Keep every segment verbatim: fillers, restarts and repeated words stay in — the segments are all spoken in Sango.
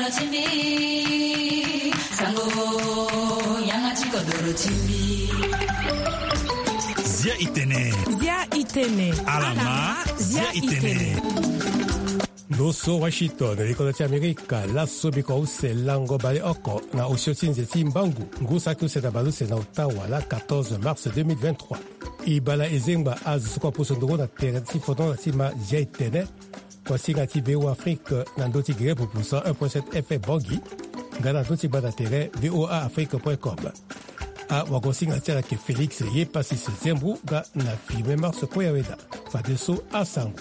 Timbi, sango, yanga ti kodoro timbi. Zia itene. Zia itene. Alama, zia itene. Ndo so Washington, likodro ti Amerika, laso biko use lango baleoko na osio ti nze ti mbangu, ngu saki use na baleuse na ota wala quatorze mars deux mille vingt-trois. E bale ezengba azo so kue apusu nduru na tere ti fondonda ti ma zia itene, kuasinga ti V O A Afrique na ndö ti gere pupu cent un point sept F M Bangui, nga na ndö ti gbanda tere V O A Afrique point com. Awagosinga ti ala yeke Félix Yepasis Zembru nga na Firmin Mars Koyaweda. Fadeso asango.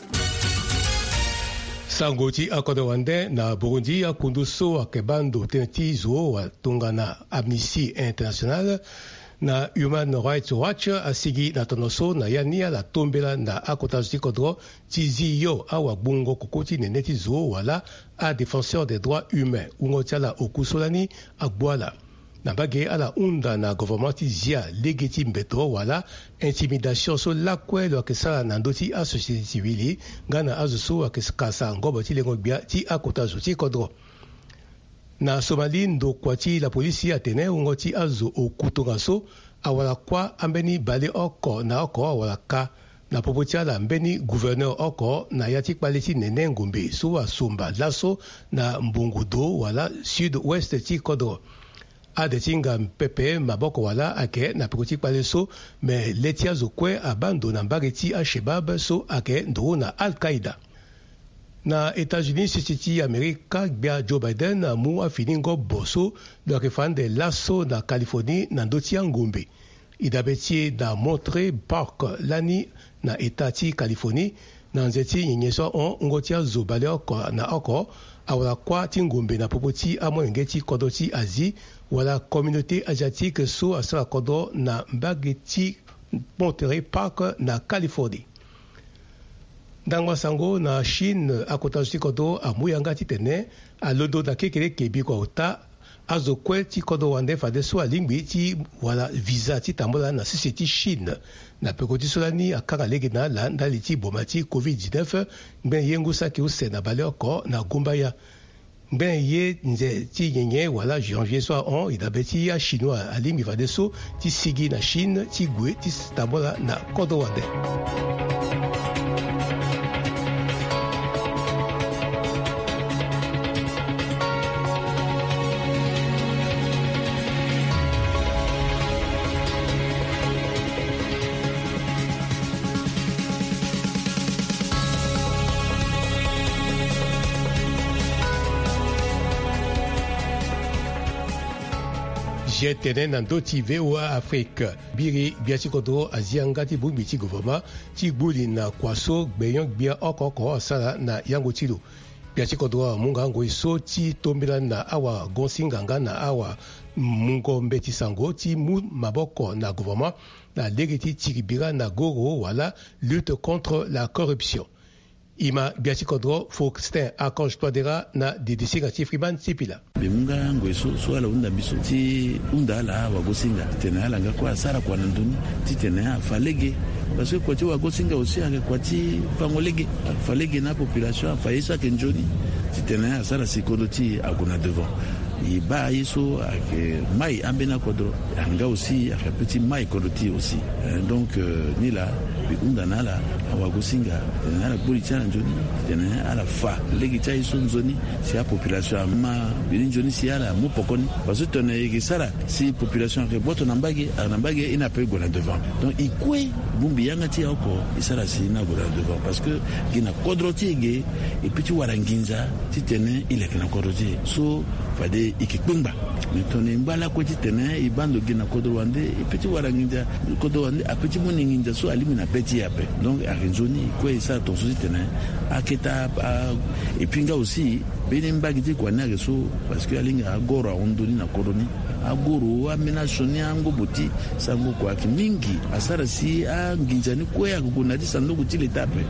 Sango ti akodro wande na Burundi, akundu so ayeke baa ndo tënë ti zo wa tongana Amnesty International na Human Rights Watch asigi na tono so na ya ni ala tombela na akota zo ti kodro ti zi yo awagbongo koko ti nene ti zo wala adéfenseur des droits humains, wungo ti ala oku so lani agbu ala. Na mbage ala hunda na governement ti zia lege ti mbeto wala intimidation so lakue lo yeke sara na ndö ti asociété civile nga na azo so ayeke kasa ngobo ti lengo gbia ti akota zo ti kodro. Na Somalie, ndokua ti lapolisi atene wungo ti azo oku tongaso awara kuâ ambeni baleoko na oko awara ka na popo ti ala mbeni gouverneur oko na ya ti kpale ti nene ngombe so asomba laso na mbongo do wala sud-ouest ti kodro. Ade ti nga pepe maboko wala ayeke na peko ti kpale so, me le ti azo kue abaa ndo na mbage ti Al-Shabaab so ayeke nduru na Al-Qaïda. Na États-Unis, sese ti Amerika, gbia Joe Biden amu afini ngobo so lo yeke fa ande laso na Californie na ndö ti angombe. E dabe ti e na Monterey Park lani na État ti Californie, na nze ti nyenye so ahon wungo ti azo baleoko na oko awara kuâ ti ngombe na popo ti amolenge ti kodro ti Asie wala Communauté Asiatique so asara kodro na mbage ti Monterey Park na Californie. Ndangba sango na Chine, akota zo ti kodro amu yanga titene alondo na kekereke bikua ota azo kue ti kodro wande fadeso alingbi ti wara visa ti tambula na sese ti Chine. Na peko ti so lani akanga lege na ala ndali ti boma ti covid dix-neuf, ngbene ye ngu saki use na baleoko na gumbaya. Ngbene ye nze ti nyenye wala janvier so ahon, e dabe ti achinois alingbi fadeso ti sigi na Chine ti gue ti tambula na kodro wande. Zia tene na ndö ti V O A Afrique. Biri gbia ti kodro azi yanga ti bongbi ti gouvernement ti gbu li na kua so gbenyo-gbia oko oko asara na yango ti lo. Gbia ti kodro amu nga ngoi so ti tombela na awagosinga nga na awamungo mbeti sango ti mu maboko na gouvernement na lege ti tiri bira na goro wala lutte contre la corruption. E ma gbia ti kodro Faustin Archange Touadéra na didisinga ti Freeman Sipila. Mbi mu nga ngoi so, so ala hunda mbi so ti hunda ala awagosinga titene ala nga kue asara kua na ndoni titene afa lege. Parce que kua ti wagosinga aussi ayeke kua ti fango lege. Afa lege na apopulation, afa ye so ayeke nzoni titene asara si kodro ti e ague na devant. E baa ye so ayeke mai ambeni akodro, ayeke nga aussi ayeke ape ti mai kodro ti e aussi. Eh, donc, euh, ni laa mbi hunda na ala awagosinga titene ala gbu li ti ala nzoni titene ala fa lege ti aye so nzoni si apopulation ama mbeni nzoni si ala mu poko ni. Parce que tongana e yeke sara si population ayeke boto na mbage, ala na mbage, e ni ape e gue na devant. Donc e kue bongbi yanga ti e oko e sara si e ni ague na devant parce que gi na kodro ti e ge e peut ti wara nginza titene e leke na kodro ti e so fade e yeke kpengba. Me tongana e ngba lakue titene e baa ndo gi na kodro wande, e peut ti wara nginza, kodro wande ape ti mu ni nginza so alingbi na be ti e ape. Donc ayeke nzoni e kue e sara tongaso titene aketa a, et puis nga aussi mbeni mbage ti kua ni ayeke so, parce que alingbi agoro ahon ndoni na kodro ni. Agoro ambeni asioni angobo ti sango kua ayeke mingi. Asara si anginza ni kue ayeke gue na ya ti sanduku ti leta ape.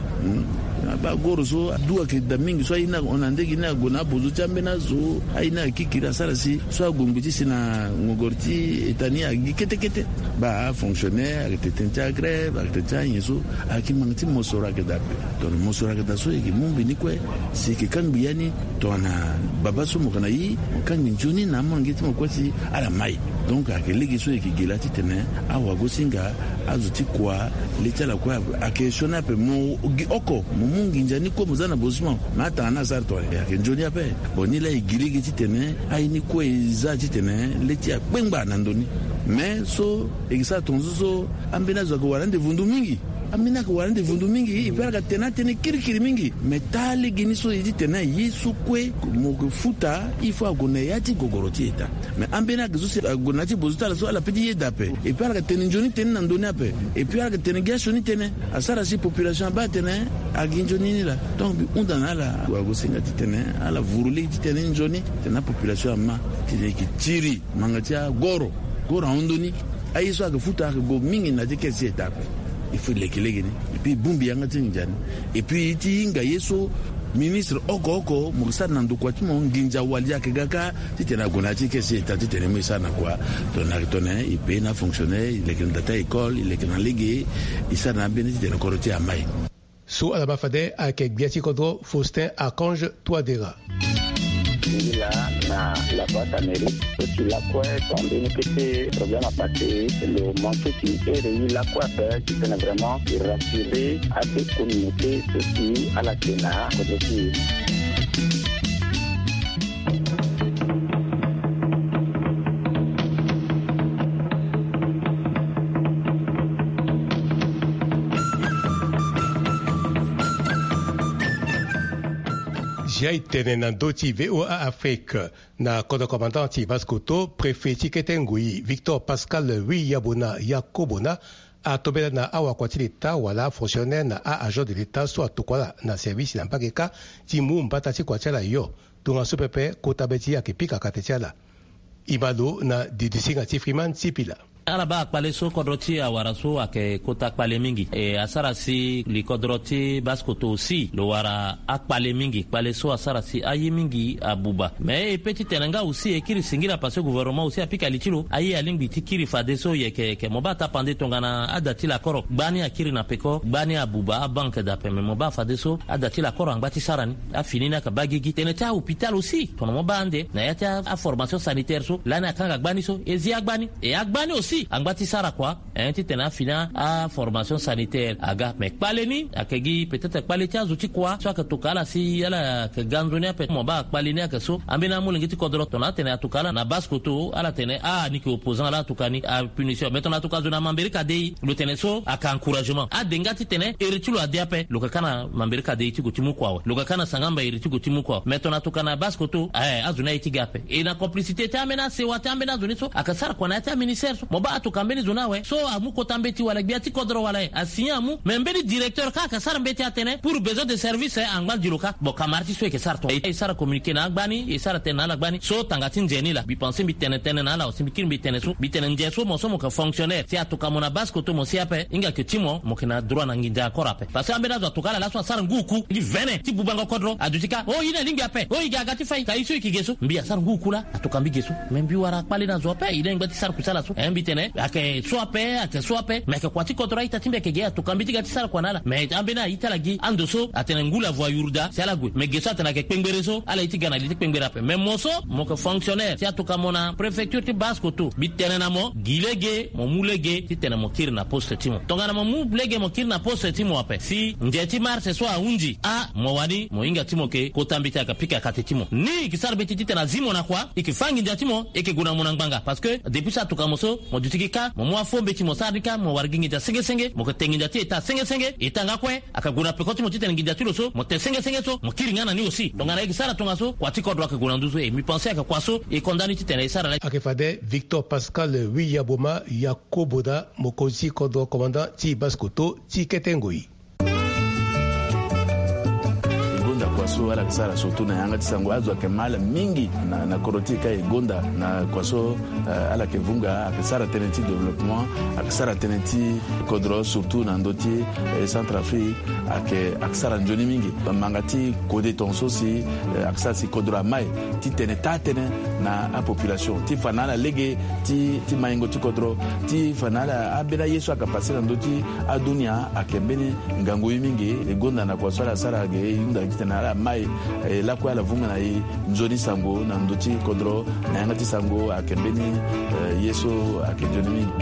Abaa agoro so adu ayeke daa mingi so aye ni ahon na ndege ni ague na abozo ti ambeni azo. Aye ni ayeke kikiri asara si so ague ngbi ti si na ngongoro ti eta ni agi kete kete. Baa afonctionnaire ayeke tene ti agrève ayeke tene ti anyen so. Ayeke manga ti mosoro ayeke daa ape. Tongana mosoro ayeke daa so e yeke mu mbi ni kue si e yeke kangbi ya ni. Tongana baba so mo yeke na ye mo kangbi nzoni na amolenge ti mo kue si ala mai. Donc ayeke lege so e yeke gi laa titene awagosinga azo ti kua le ti ala kue ayeke sioni ape mo gi oko mo mu nginza ni kue mo za na bozo ti mo. Me atanga ni asara tongana e yeke nzoni ape. Bon ni laa e gi lege titene aye ni kue e za titene le ti akpengba na ndo ni. Me so e yeke sara tongaso so ambeni azo ayeke wara ande vundu mingi. Ambeni ayeke wara ande vundu mingi e pe ala yeke tene atënë kirikiri mingi. Me taa legeni so e titene ye so kue mo yeke futa il faut ague na ya ti gogoro ti eta. Me ambeni ayeke so si ague na ya ti bozo ti ala so ala pe ti yeda ape. E pe ala yeke tene nzoni tënë na ndo ni ape. E pe ala yeke tene gi asioni tënë. Asara si population abaa atene agi nzoni ni laa. Donc mbi hunda na ala wagosinga titene ala vuru lege titene nzoni titene apopulation ama titene e yeke tiri manga ti agoro. Goro ahon ndo ni. Aye so ayeke futa ayeke gue mingi na ya ti kese ti eta ape. Il faut e leke lege ni. Et puis e bongbi yanga ti nginza ni. Et puis e ti hinga ye so ministre oko oko mo yeke sara na ndokua ti mo nginza wali ayeke ga kâ titene ague na ya ti kese ti eta titene e mu e sara na kua. Tongana ayeke tongana e pe na afonctionnaire e leke na da ti a-école e leke na lege. E sara na ambeni titene kodro ti e amai. So ala baa fade ayeke gbia ti kodro Faustin Archange Touadéra. Ngi laa na la boîte à mérite so si lakue tongana mbeni kete problème apassé lo manqué ti ere ye lakue ape titene vraiment e rassurer ade communauté so si ala yeke na kodro ti e. Zia e tene na ndö ti VOA Afrique. Na kodro commandant ti Basse-Kotto, préfet ti kete ngoi Victor Pascal Wi Yabona Yakobona atombela na awakua ti leta wala afonctionnaire na a-agent de leta so atokua ala na service na mbage kâ ti mu mbata ti kua ti ala yo. Tongaso pepe kota be ti ye ayeke pika kate ti ala. E ma lo na didisinga ti Freeman Sipila. Ala baa akpale so kodro ti e awara so ayeke kota kpale mingi. E asara si li kodro ti Basse-Kotto aussi lo wara akpale mingi. Kpale so asara si aye mingi abuba. Me e pe titene nga aussi e kiri singila parce que gouvernement aussi apika li ti lo. Aye alingbi ti kiri fadeso yeke yeke mo baa tapande tongana ada ti lakoro gbani akiri na peko gbani abuba abanke dape me mo baa fadeso ada ti lakoro angba ti sara ni. Afini ni ayeke baa gigi tene ti ahôpital aussi tongana mo baa ande na ya ti aformation sanitaire so lani akanga gbani so e zi agbani. E agbani aussi angba ti sara kua. Hein titene afini aformation sanitaire aga me kpale ni ayeke gi peut-être kpale ti azo ti kua so ayeke toka ala si ala yeke ga nzoni ape mo baa kpale ni ayeke so ambeni amolenge ti kodro tongana atene atoka ala na Basse-Kotto ala tene ah ni yeke opposant ala atoka ni apunition me tongana atoka zo na mamberi kadei lo tene so ayeke encouragement ade nga titene iri ti lo ade ape lo yeke kâ na mamberi kadei ti gue ti mu kua awe lo yeke kâ na sangamba iri ti gue ti mu kua awe me tongana atoka na Basse-Kotto aye azo ni aye ti ga ape. E na complicité ti ambeni asewa ti ambeni azo ni so ayeke sara kua na ya ti aministère so mo baa atoka mbeni zo ni awe so amu kota mbeti wala gbia ti kodro wala e asigné amu me mbeni directeur kâ ayeke sara mbeti atene pour besoin de service angba gi lo kâ. Bon kamara ti so e yeke sara tonga e sara communiqué na agbani e sara tënë na ala gbani so tanga ti nze ni laa mbi pense mbi tene tënë na ala aussi mbi kiri mbi tene so mbi tene nze so mo so mo yeke fonctionnaire si atoka mo na Basse-Kotto mo si ape hinga yeke ti mo mo yeke na droit na nginza encore ape. Parce que ambeni azo atoka ala laso asara ngu oku li vene ti bubango kodro aduti kâ o ye ni alingbi ape o e ge aga ti fai ka ye so e yeke ge so mbi asara ngu oku laa atoka mbi ge so. Me mbi wara akpale na zo ape e na e ngba ti sara kusala so eh mbi tene ayeke so ape ayeke so ape me ayeke kua ti kodro a-ita ti mbi ayeke ge atoka mbi ti ga ti sara kua na ala me ambeni aye ti ala gi ando so atene ngu la voie yurda si ala gue me ge so atene ayeke kpengbere so ala ye ti ga na li ti kpengbere ape me mo so mo yeke fonctionnaire si atoka mo na préfecture ti Basse-Kotto mbi tene na mo gi lege mo mu lege titene mo kiri na poste ti mo tongana mo mu lege mo kiri na poste ti mo ape si nze ti marche so ahunzi ah mo wani mo hinga ti mo yeke kota mbeti ayeke pika kate ti mo ni e yeke sara mbeti titene azi mo na kua e yeke fâ nginza ti mo e yeke gue na mo na ngbanga parce que depuis so atoka mo so mo duti gi kâ mo mu afo mbeti mo sara ni kâ mo wara gi nginza senge senge mo yeke te nginza ti eta senge senge eta nga kue ayeke gue na peko ti mo titene nginza ti lo so mo te senge senge so mo kiri nga na ni aussi tongana e yeke sara tongaso kua ti kodro ayeke gue na nduzu e mbi pense ayeke kua so e konda ni titene e sara laa. Ayeke fade Victor Pascal Wiyaboma Yakoboda mokonzi ti kodro commandant ti Basse-Kotto ti kete ngoi. E gonda kua So ala yeke sara surtout na yanga ti sango, azo ayeke ma ala mingi na, na kodro ti e ka e gonda na kua so, eh, ala yeke vunga, ayeke sara tënë ti développement, ayeke sara tënë ti kodro, surtout na ndö ti, eh, Centrafrique, ayeke, ayeke sara nzoni mingi. Manga ti kode tongaso si, eh, ayeke sara si kodro amai ti tene taa-tënë na apopulation, ti fa na ala lege ti, ti maingo ti kodro, ti fa na ala ambeni aye so ayeke pase na ndö ti adunia, ayeke mbeni ngangu ye mingi. E gonda na kua so ala sara ge, e hunda titene ala mai, eh, lakue ala vunga na e nzoni sango na ndö ti kodro, na yanga ti sango ayeke mbeni, eh, ye so ayeke nzoni mingi.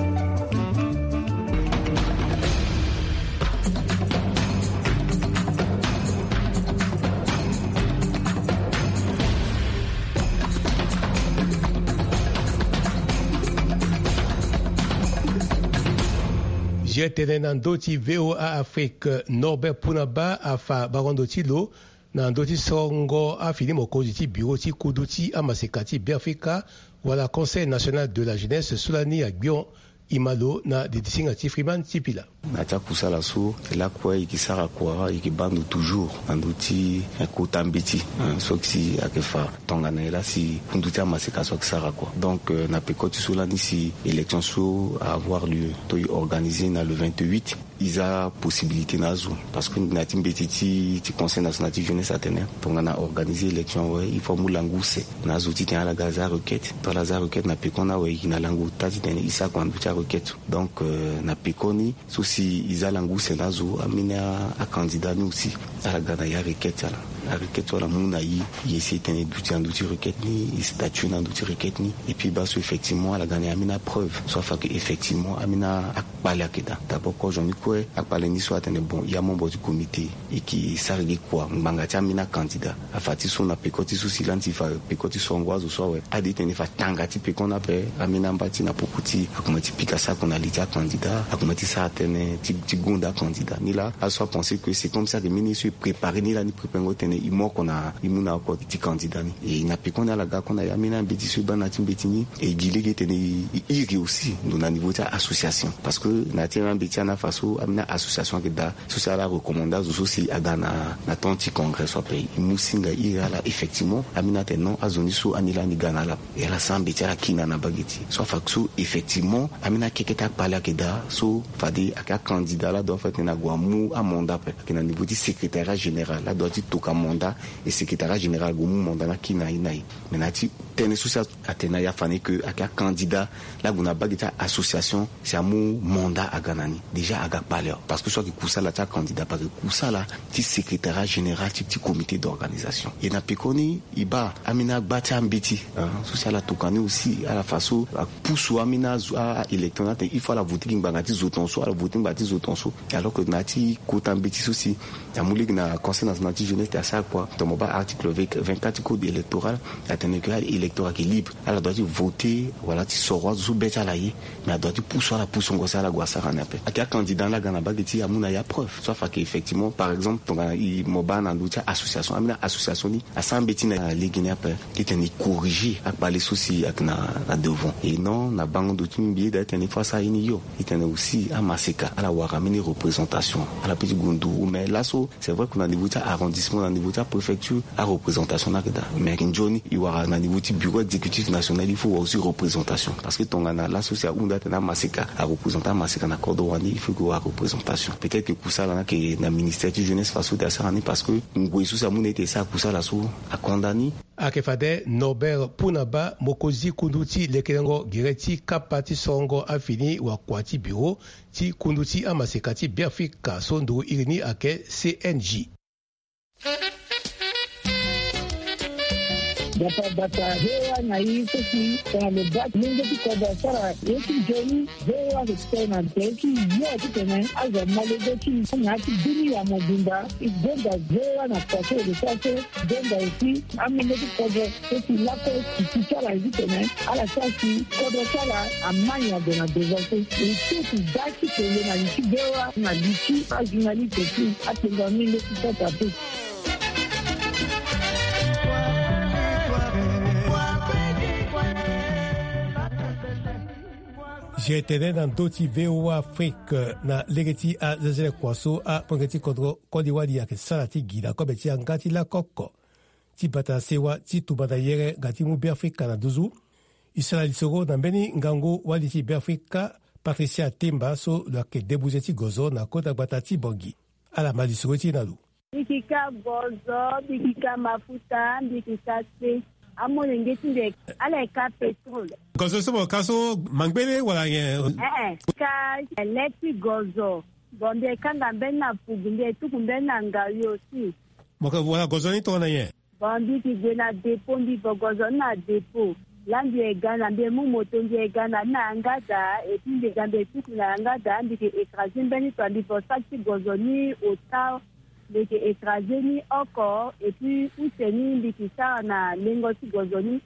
Ge tene na ndö ti V O A Afrique, Norbert Punaba afa barondo ti lo na ndö ti sorongo afini mokonzi ti bureau ti kundu ti amaseka ti Beafrika wala Conseil National de la Jeunesse so lani agbion. E ma lo na didisinga ti Freeman ti pila. Na ya ti akusala so, e lakue e yeke sara kua, e yeke baa ndo toujours na ndö ti, eh, kota mbeti, hein, so si ayeke fa tongana e laa si kundu ti amaseka so ayeke sara kua. Donc, euh, na peko ti so lani si élection so a avoir lieu, to e organiser na le vingt-huit, e za possibilité na azo. Parce que na ya ti mbeti ti, ti Conseil National ti Jeunesse atene, tongana organiser élection awe, il faut amu langu use na azo titene ala ga aza requête. To ala za requête na pekoni awe, e yeke na langu ota titene e sara kua na ndö ti arequête. Donc, euh, na pekoni so si e za langu use na azo, ambeni a, acandidat ni aussi, ala ga na e arequête ala. Arequête so ala mu na e, e essayer titene e duti na ndö ti requête ni, e statuer na ndö ti requête ni. Et puis baa so effectivement ala ga na e ambeni apreuve so afa ke effectivement ambeni akpale ayeke daa. D'abord kozo ni kue, akpale ni so atene bon, e amembre ti comité, e yeke sara gi kua ngbanga ti ambeni acandidat. Afa ti so na peko ti so si lani si fa peko ti sorongo azo so awe, ade titene e fa tanga ti peko ni ape, ambeni amba ti na popo ti akoma ti pika sako na li ti acandidat, akoma ti sara tënë ti, ti gonda acandidat. Ni laa azo so apenser que c'est comme si ayeke mbeni ye so e préparer ni lani, préparengo titene e mu oko na, e mu na oko ti candidat ni. E na pekoni ala ga kue na e ambeni ambeti so e baa na ya ti mbeti ni, e gi lege titene e, e iri aussi ndo na niveau ti association. Parce que na ya ti ambeti ani afa so, ambeni association ayeke daa so si ala recommande azo so si aga na, na temps ti congrès so ape, e mu singa e iri ala effectivement, ambeni atene non, azo ni so ani lani ga na ala. E ala sara mbeti ala kiri na, na bage ti e. So afa so effectivement ambeni akeke ti akpale ayeke daa so fade ayeke acandidat laa doit fa titene ague amu amandat ape. Ayeke na niveau ti secrétariat général laa doit ti toka mandat, e secrétariat général ague mu mandat ni akiri na e na e. Mais na ya ti tënë so si atene na ya fani ke ayeke acandidat laa ague na bage ti association si amu mandat aga na ni, déjà aga kpale awe. Parce que so ayeke kusala ti acandidat, parce que kusala ti secrétariat général ti, ti comité d'organisation. E na pekoni e baa ambeni agba ti ambeti, hein, so si ala toka ni aussi, ala fa so apusu ambeni azo, a, a électeur ni atene il faut ala voter gi ngbanga ti zo tongaso, ala voter ngbanga ti zo tongaso. Alors que na ya ti kota mbeti so si amu lege na Conseil National ti Jeunesse ti asara kua, tongana mo baa article vingt-quatre ti code électoral, atene ke aélectorat ayeke libre, ala doit ti voter wala ti soro azo so be ti ala ye. Mais adoit ti pusu ala pusongo si ala gue asara ni ape. Ayeke acandidat ni aga na bage ti e amu na e apreuve so afa ke effectivement, par exemple tongana e, mo baa na ndö ti association, ambeni association ni asara mbeti na lege ni ape titene e corriger akpale so si ayeke na, na devant. Et non, na bango ndo ti mbi e daa titene il faut asara ye ni hio. E tene aussi amaseka ala wara ambeni représentation, ala peut ti gue nduru. Mais laso c'est vrai que na niveau ti arrondissement, na niveau ti apréfecture, areprésentation ni ayeke daa. Mais ayeke nzoni e wara na niveau ti bureau exécutif national, il faut wara aussi représentation. Parce que tongana laso si ahunda atene amaseka areprésente amaseka na kodro wani, il faut que wara représentation. Peut-être que kusala ni ayeke na ministère ti jeunesse faso ti asara ni, parce que ngoi so si amu na e ti e sara kusala so akonda ni. Ayeke fade Norbert Punaba, mokonzi kundu ti lekerengo gere ti kapa ti sorongo afini wakua ti bureau ti kundu ti amaseka ti Beafrika so nduru iri ni ayeke C N J. Bata bata, V O A na i so si tongana lo baa molenge ti kodro asara ye ti nzoni, V O A ayeke tene na tere ti yo titene azo amolenge ti i na ya ti dunia mobimba. E gonda V O A na kua so e yeke sara so, e gonda aussi amolenge ti kodro so si lakue sisi ti ala ye titene ala sara si kodro ti ala amai ade na devant so. E so si da ti tene na li ti V O A na li ti ajournaliste ti atengo amolenge ti kota pe. Ti e tene na ndö ti VOA Afrique na lege ti azezele kua so amolenge ti kodro koli wali ayeke sara ti gi na kobe ti yanga ti lako oko ti bata sewa ti tumba na yere nga ti mu Beafrika na nduzu. E sara lisoro na mbeni ngangu wali ti Beafrika, Patricia Temba, so lo yeke debuze ti gozo na kota gbata ti Bangui. Ala ma lisoro ti e na lo. Mbi yeke ka gozo, mbi yeke ka mafuta, mbi yeke ka se. Amolenge ti mbi ala yeke ka pétrole. Gozo so mo ka so mangbele wala nyen? Ee, ka le ti gozo. Bon, mbi yeke kanga mbeni na fugu, mbi yeke tuku mbeni na ngayo si. Mo yeke wara gozo ni tongana nyen? Bon, mbi yeke gue na dépôt, mbi vo gozo ni na dépôt. Laa mbi yeke ga na, mbi yeke mu moto, mbi yeke ga na ni na yanga daa, et puis mbi yeke ga, mbi yeke tuku na yanga daa, mbi yeke écraser mbeni to, mbi vo sac ti gozo ni ota, mbi yeke écraser ni oko, et puis use ni mbi yeke sara na lengo ti gozo ni,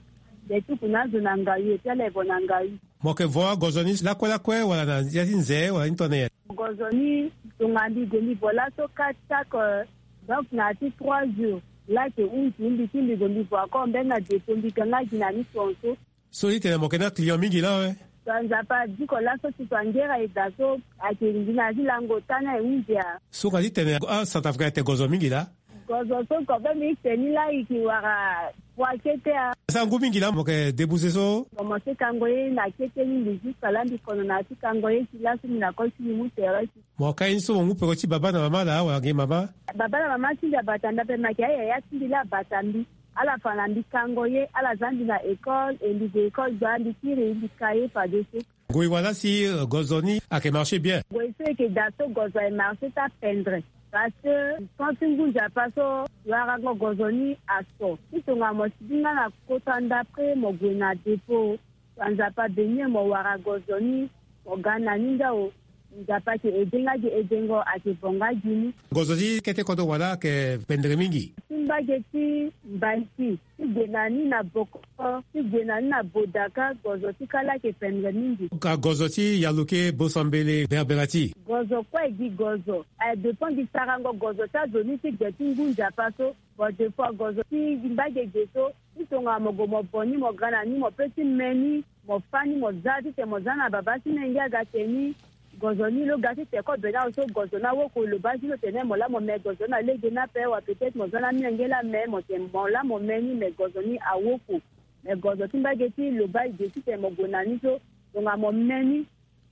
mbi yeke tuku na azo na ngayo, et puis ala yeke vo na ngayo. Mo yeke vo agozo ni lakue lakue wala na ya ti nze wala ni tongana nyen? Gozo ni, tongana mbi gue mbi vo laso quatre sac, euh, donc na ya ti trois jours. Laa ayeke hunzi mbi ti mbi gue mbi vo encore mbeni na dépôt, mbi ga nga gi na ni tongaso. So ti tene mo yeke na client mingi laa awe? To Nzapa adiko laso ti to angera e daa so, ayeke ngi na ya ti lango ota ni aye hunzi ya. So nga ti tene aCentrafricain atene gozo mingi laa? Gozo so kobe mbi ti tene ni laa e yeke wara poids kete a. Sa ngu mingi laa mo yeke debuze so? Commencer kango ye na kete ni mbi jusqu'à laa mbi kono na ya ti kango ye ti laso mbi na koli ti mbi mu tere ti. Mo ka ye ni so mo mu peko ti baba na mama laa wala nge mama? Baba na mama ti mbi abata mbi ape, me ayeke ayaya ti mbi laa abata mbi. Ala fa na mbi kango ye, ala za mbi na école, e mbi gue école gbaa, mbi kiri mbi ka ye fadeso. Ngoi wala si, euh, gozo ni ayeke marché bien? Ngoi so e yeke daa so gozo aye marché ti apendre. Parce que temps ti ngu Nzapa so warango gozo ni aso. Ti tongana mo sigi nga na kota ndapre mo gue na dépôt. Nzapa abénir mo wara gozo ni, mo ga na ni ndao. Nzapa ayeke aidé nga gi aidengo, ayeke vo nga gi ni. Gozo ti kete kodro wala ayeke pendere mingi? Ti mbage ti Mbanti, ti gue na ni na Bokoro, ti gue na ni na Bodaka, gozo ti kala ayeke pendere mingi. Ka gozo ti Yaluke, Bosambele, Berberati? Gozo kue gi gozo. Aye dépend gi sarango gozo ti azo ni ti gbe ti ngu Nzapa so. Bon, des fois gozo ti mbage ge so, ti tongana mo gue mo bo ni, mo ga na ni, mo pe ti me ni, mo fâ ni, mo za titene mo za na baba ti menge aga tene ni. Gozo ni lo ga titene kobe ni awe so gozo ni awoko, lo baa ti lo tene mo laa mo me gozo ni na lege ni ape wa, peut-être mo za na menge laa me, mo tene mo laa mo me ni, me gozo ni awoko. Me gozo ti mbage ti lo baa e ge titene mo gue na ni so, tongana mo me ni,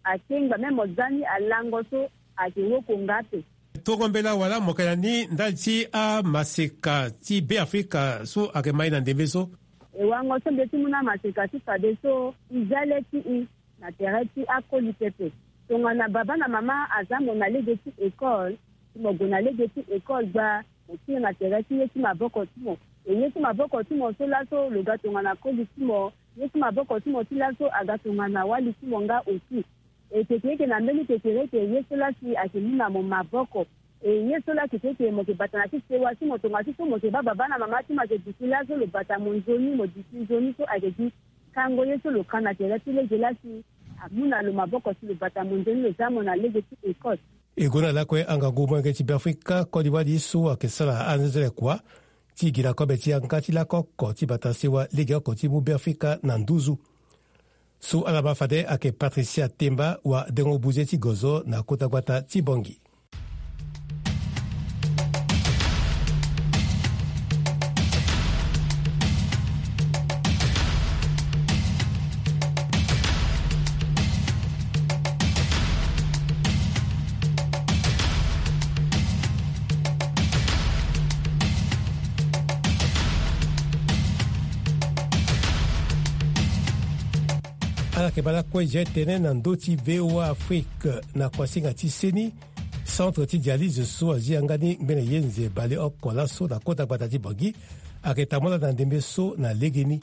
akengba, même mo za ni alango so ayeke woko nga ape. Tongo mbela wala mo yeke na ni ndali ti amaseka ti Beafrika so ayeke ma e na ndembe so? E wango so mbi ye ti mu na amaseka ti fadeso, e za le ti e na tere ti akoli pepe. Tongana baba na mama aza mo na lege ti école, ti mo gue na lege ti école gbaa, mo kiri na tere ti ye ti maboko ti mo. E ye ti maboko ti mo so laso lo ga tongana koli ti mo, ye ti maboko ti mo ti laso aga tongana wali ti mo nga aussi. E kekereke na mbeni kekereke ye so laa si ayeke mu na mo maboko. E ye so laa kekereke mo yeke bata na ti sewa ti mo tongaso so mo yeke baa baba na mama ti mo ayeke duti laso lo bata mo nzoni, mo duti nzoni so ayeke gi kango ye so lo ka na tere ti lege laa si amu na lo maboko si lo bata mo nzoni, lo za mo na lege ti école. E gue na lakue angangu molenge ti Beafrika koli wali so ayeke sara anzenzele kua ti gi na kobe ti yanga ti lako oko ti bata sewa legeoko ti mu Beafrika na nduzu. So ala ma fade ayeke Patricia Temba, wadengo buze ti gozo na kota gbata ti Bangui. Ala yeke baa lakue je tene na ndö ti VOA Afrique na kuasinga ti seni, centre ti dialyse so azi yanga ni ngbene ye nze baleoko laso na kota gbata ti Bangui ayeke tambula na ndembe so na legeni.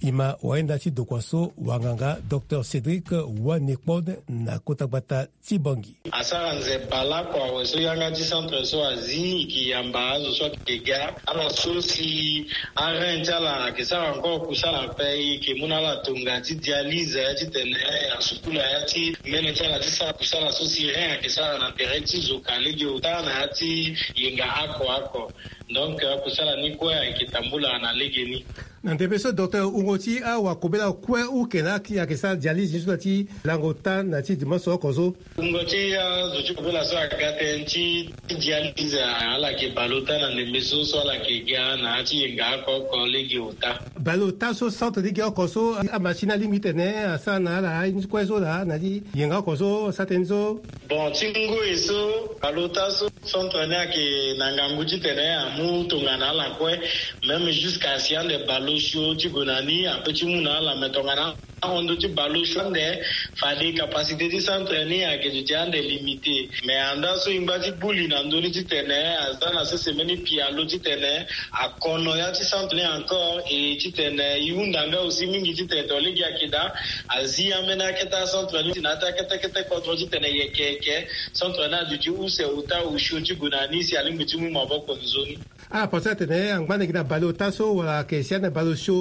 E ma wayenda ti dokua so wanganga Docteur Cédric Wanekpone na kota gbata ti Bangui. Asara nze baleoko awe so yanga ti centre so azi, e yeke yamba azo so ayeke ga, ala so si arein ti ala ayeke sara encore kusala ape, e yeke mu na ala tonga ti dialyse, ya titene asukula ya ti mbene ti ala ti sara kusala so si rein ayeke sara na tere ti zo ka lege ota na ya ti yenga oko oko. Donc, euh, kusala ni kue ayeke tambula na legeni. Na ndembe so docteur, wungo ti awakobela kue uke na aki ayeke sara dialyse ni so na ti lango ota na ti dimanche oko so. Wungo ti azo ti kobela so aga tënë ti dialyse, ala yeke bale ota na ndembe so so ala yeke ga na ya ti yenga oko oko lege ota. Bale ota so centre ni ge oko so, amachine alingbi ti tene asara na ala aye ni kue so laa na ti yenga oko so asara tënë ni so. Bon, ti ngoi so bale ota so centre ni ayeke na ngangu titene amu tongana ala kue. Même jusqu'à si ande bale osio ti gue na ni ape ti mu na ala, me tongana ahon ndö ti bale osio ande, fade capacité ti centre ni ayeke duti ande limité. Mais andaa so e ngba ti gbu li na ndö ni titene aza na sese mbeni pialo titene akono ya ti centre ni encore, e titene e hunda nga aussi mingi titene to lege ayeke daa azi ambeni akete acentre ni si na ya ti akete kete kodro titene yeke yeke centre ni aduti use ota osio ti gue na ni si alingbi ti mu maboko nzoni. Ala pensé atene angba na gi na bale ota so wala ayeke si ande bale osio,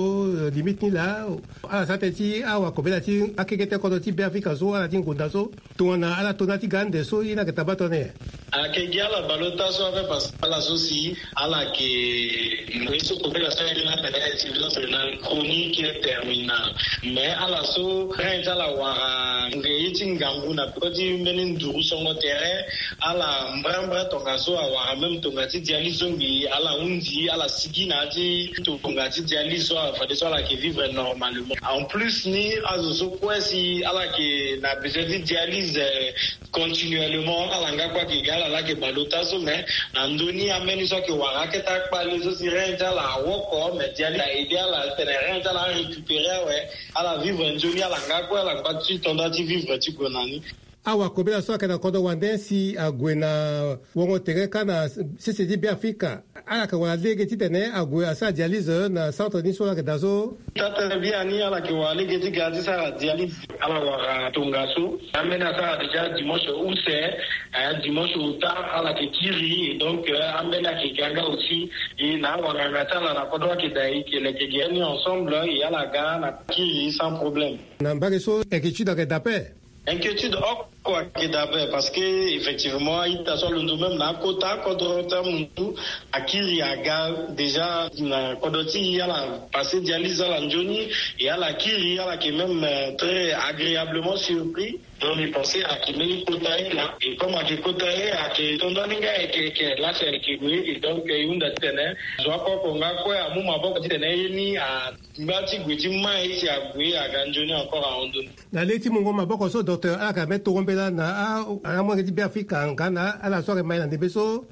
eh, limite ni laa. Ala sara tënë ti awakobela ti akekete kodro ti Beafrika so ala ti ngonda so. Tongana ala to na ya ti ga ande so ye ni ayeke tabaa tongana nyen? Ayeke gi ala bale ota so ape parce que ala so si ala yeke ngoi so kobela so aye ni atene insuffisance rénale chronique terminale. Mais ala so rein ti ala wara nge ye ti ngangu na peko ti mbeni nduru songo tere. Ala mbrambra tongaso awara même tonga ti dialyse so ngbii ala hunzi ala sigi na ya ti tonga ti dialyse so afadeso ala yeke vivre normalement. En plus ni azo so kue si ala yeke na besoin ti dialyse, eh, continuellement, ala nga kue ayeke ga ala laa ayeke bale ota so, mais na ndö ni ambeni so ayeke wara akete akpale so si rein ti ala awoko, mais dialyse a aidé ala titene rein ti ala arécupéré awe. Ala vivre nzoni ala nga kue ala ngba ti to nda ti vivre ti gue na ni. Awakobela so ayeke na kodro wande si ague na wongo tere kâ na sese ti Beafrika, ala yeke wara lege titene ague asara dialyse na centre ni so ala yeke daa so. Taa tene biani ala yeke wara lege ti ga ti sara dialyse. Ala wara tongaso. Ambeni asara déjà dimanche use, eh, dimanche ota ala yeke kiri, et donc, eh, ambeni ayeke ga nga aussi. E na awanganga ti ala na kodro ayeke daa e yeke leke ge ni ensemble, e ala ga na kiri sans problème. Na mbage so inquiétude ayeke daa ape. Inquiétude oko ayeke daa ape parce que effectivement a-ita so alondo même na akota kodro ti amundu akiri aga déjà na kodro ti e, ala passé dialyse ala nzoni, et ala kiri ala yeke même, euh, très agréablement surpris. Donc mbi pensé ayeke mbeni kota ye laa, et comme ayeke kota ye ayeke to ndani nga ayeke yeke lasi ayeke gue, et donc e hunda titene zo oko oko nga kue amu maboko titene ye ni angba ti gue ti mai si ague aga nzoni encore ahon ndö ni. Na lege ti mungo maboko so docteur, ala yeke na mbeni tongo mbela na a, amolenge ti Beafrika nga na ala so ayeke mai na ndembe so.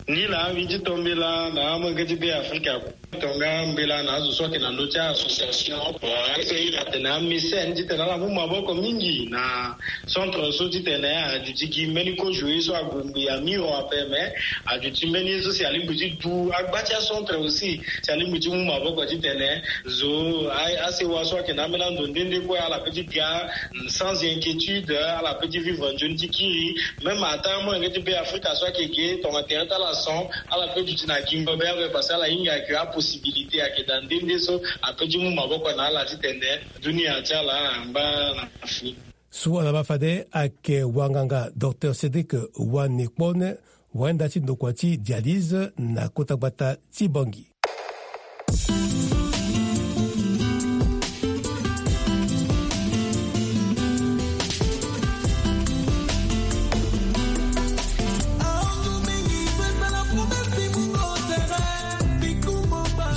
Ni laa mbi ti to mbela na amolenge ti Beafrika. Tonga mbela na azo so ayeke na ndö ti association. Bon, ayeke iri atene amécène titene ala mu maboko mingi na centre so titene aduti gi mbeni kozo ye so ague ngbii amiro ape, mais aduti mbeni ye so si alingbi ti du agba ti acentre aussi si alingbi ti mu maboko titene zo a, asewa so ayeke na ambeni ando nde nde kue ala peut ti ga sans inquiétude, ala peut ti vivre nzoni ti kiri. Même ata amolenge ti Beafrika so ayeke ge tongana tere ti ala son, ala peut duti na gingo be ape parce que ala hinga ayeke apossibilité ayeke daa nde nde so a peut ti mu maboko na ala titene dunia ti ala angba na fini. So ala baa fade ayeke wanganga docteur Cédric Wanekpone, wayenda ti ndokua ti dialyse na kota gbata ti Bangui.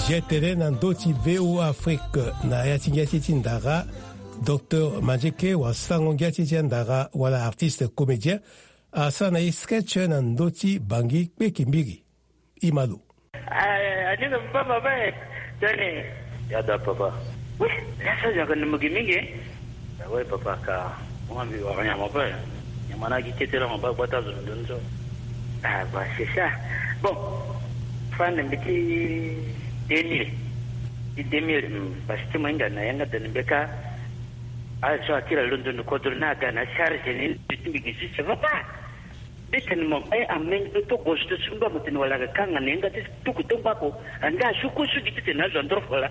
Ge tene na ndö ti V O A Afrique na ya ti ngia ti ti ndara, docteur Mandieke wala sango ngia ti ti andara wala artiste comédien asara na e sketch na ndö ti Bangui kpeki mbiri. Imalo. Ah, aninga papa, papa, eh. Tene. Ya da papa. Oui, ya sa ya kan mugi mingi. Ah ouais papa, ka mo mbi wara nyama pe. Nyama na gi kete la mo ba gbata zo ndo nzo. Ah bah, c'est ça. Bon. Fan mbi ti deux mille. Ti deux mille, hmm, parce que mo hinga na yanga tene mbi ka. Ah, so akira londo ni kodro na ga na charge ni, mbi ti mbi gi si, ça va pas. Mbi tene mo, eh, ameni, mbi to gozo to sumba mo tene wala ga kanga na yanga ti tuku to ngba ko. Anga asuku su gi ti tene azo andro fola.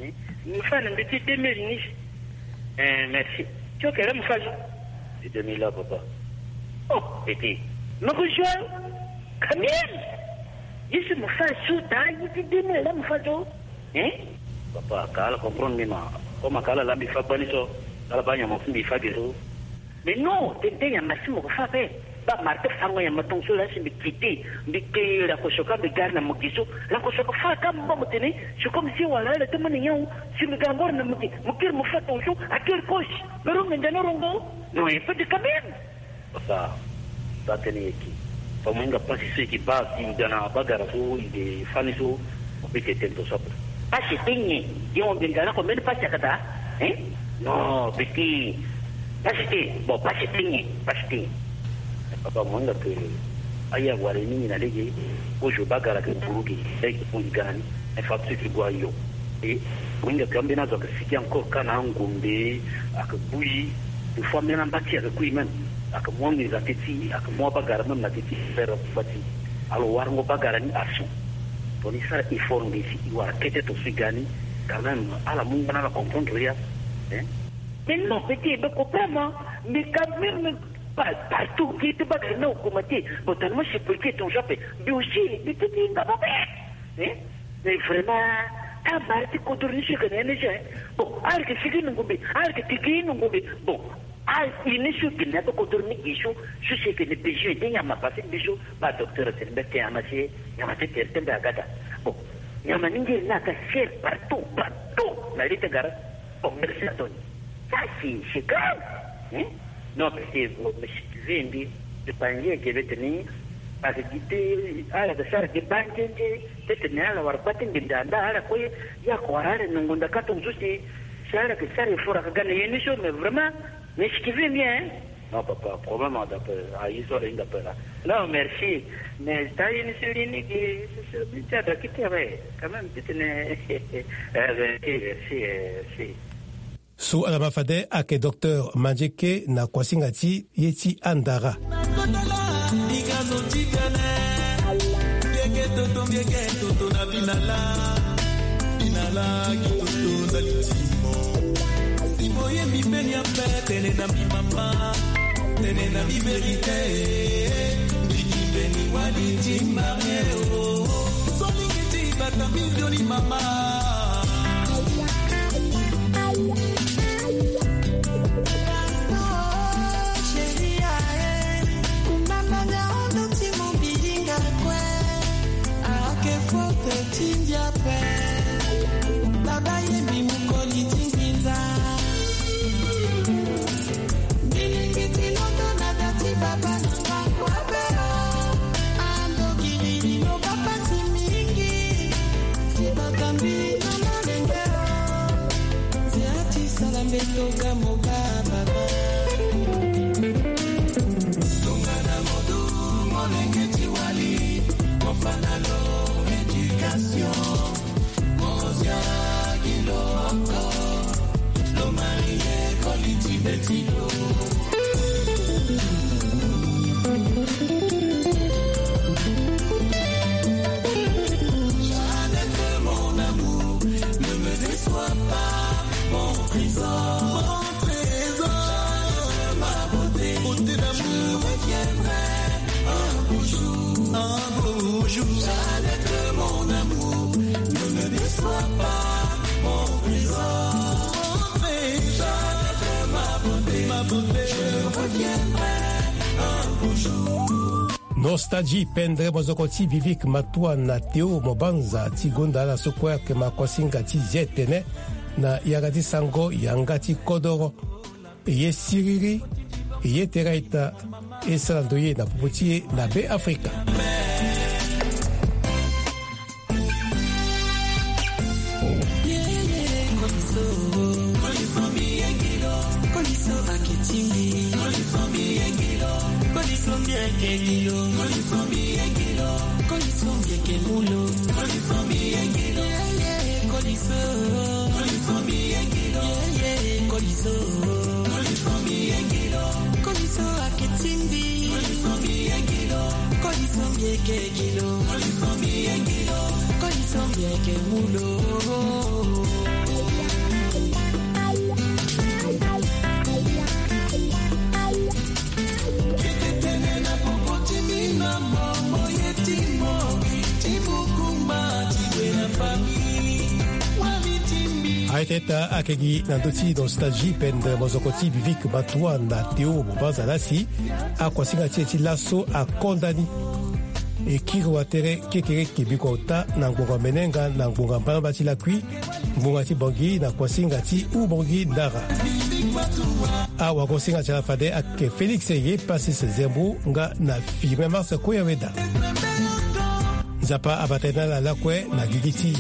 Eh, mo fa na mbi ti deux mille ni. Eh, merci. Ti oke la mo fa zo. Ti deux mille la papa. Oh, petit. Mo ko zo. Quand même. Yesu mo fa zo da yi ti deux mille la mo fa zo. Eh? Papa, ka ala comprendre mbi ma. Comme ka ala la mbi fa gbani so, ala ba nyama fu mbi fa ge so. Mais non, tene te nyama si mo ko fa pe. Ba mara ti fango nyama tongo so la si mbi kite, mbi ke la ko soka mbi gari na mo gi so, la ko soka fa ka mo ba mo tene, si comme si wala ala ti mo ni nyawu, si mbi ga ngoro na mo gi, mo kiri mo fa tongo so, a kiri kosi. Mais rongo nda na rongo, non, il faut de quand même. Papa, sa tene yeke. Fa mo hinga pasi so yeke ba si ga na bagara so i de fani so, mo pe ke tene to so ape. Pasi te nyen? Ye mo mbi ga na ko mbeni pasi akata? Hein? Non, peki. Pasi te. Bon, pasi te nyen? Pasi te nyen? Papa, mo hinga ke aya wara ye mingi na lege, kozo bagara ke buru ge, lege ko i ga na ni. Infrastructure ti gue ayo. E mo hinga ke ambeni azo ayeke sigi encore ka na angombe, ayeke bui. Des fois même ambeni ti ayeke kui même, ayeke mu anginza ti e ti, ayeke mu abagara même na ti e ti, pere ti fâ ti. Alors warango bagara ni asu. Tongana e sara effort ngbisi e wara kete tongaso e ga ni. Quand même ala mu ngba na ala comprendre ya. Hein? Mais non, petit, mais comprends moi. Mais quand même, pa- partout qui te bagara na augmenté. Bon, tellement c'est petit ton genre. Mais aussi, mais petit, il va pas faire. Hein? Mais vraiment, ta mara ti kodro ni si yeke na ye ni si, hein? Bon, ala yeke sigi na ngombe, ala yeke tigi na ngombe. Bon, a ini so yeke na be kodro ni gi so, so si yeke na besoin ti nyama parce que mbi so ba docteur atene mbi ake nyama si nyama ti tere ti mbi aga daa. Bon, nyama ni ngiri ni aga cher partout, partout na li ti gara. Bon, merci à toi. Ça, c'est, c'est grave. Hein? Non, parce que, bon, mais si tu veux, mbi, je pense que je vais tenir, parce que tu, ala ga sara ge banzenze, ti tene ala wara kpâ ti nginda nda ala kue, ya ko wara ala nongo nda ka tongaso si, si ala ga sara effort aga na ye ni so, mais vraiment, mais si tu veux bien, hein? Non, papa, problème, on t'appelle. Ah, ils sont là, ils t'appellent là. Non, merci. Mais t'as une série qui, c'est, c'est, tu as quitté, ouais. Quand même, tu tenais. Euh, merci, merci, euh, merci. So ala ma fade ayeke docteur Mandieke na kuasinga ti ye ti andara. Toto na binala, binala kitoto na litimo. Si boye mbi mbeni ape tene na mbi mama, tene na mbi verite. Mbi ki mbeni wali ti marie o. Solingi ti bata mbi nzoni mama. Chérie, ae, kumba manga ondo ti mobilinga kue. Ake fote ti ndia pe. Baba ye mbi mokoli ti nginza. Mbi lingi ti londo na da ti baba na nga kua be o. Ando kiri lino bapasi mingi. Ti bakambi na molenge o. Nzea ti sala mbeto ga moba baba. Tongana modu molenge ti wali, mofana lo éducation. Mozia gi lo oko, lo marie koli ti beti lo. Jeannette, mon amour, ne me déçois pas, mon trésor. Mon trésor. Jeannette, ma beauté, beauté d'amour. Je reviendrai un beau jour. Un beau jour. Jeannette, mon amour, ne me déçois pas, mon trésor. Mon trésor. Jeannette, ma beauté, ma beauté. Je reviendrai un beau jour. Nostalgie, pendre mozoko ti Vivic Matoua na Théo Mobanza ti gonda ala so kue ayeke ma kuasinga ti zia tene na yanga ti sango yanga ti kodoro. E ye siriri, e ye tere a-ita, e sara ndo ye na popo ti e na Be Afrika. Koliso. Koliso. Koliso akitindi. Koliso mbi eke kilo. Koliso mbi eke kilo. Koliso mbi eke mulo. Kete tene na popo ti mina momo ye ti mo. Ti mo kumba ti we na famille. Wali ti Aye teta ake gi na ndö ti nostalgie pende mozoko ti Vivik Matoua na Théo Mobanza Lassi. Akuasinga ti e ti laso akonda ni. E kiri watere kekereke bikua ota na ngbonga menenga na ngbonga mbalamba ti lakui, ngbonga ti Bangui na kuasinga ti Oubangui Ndara. Awagosinga ti ala fade ake Félix Yepassis Zembo nga na Firmin Mars Koyaweda. Nzapa abata na ala lakue na gigi ti.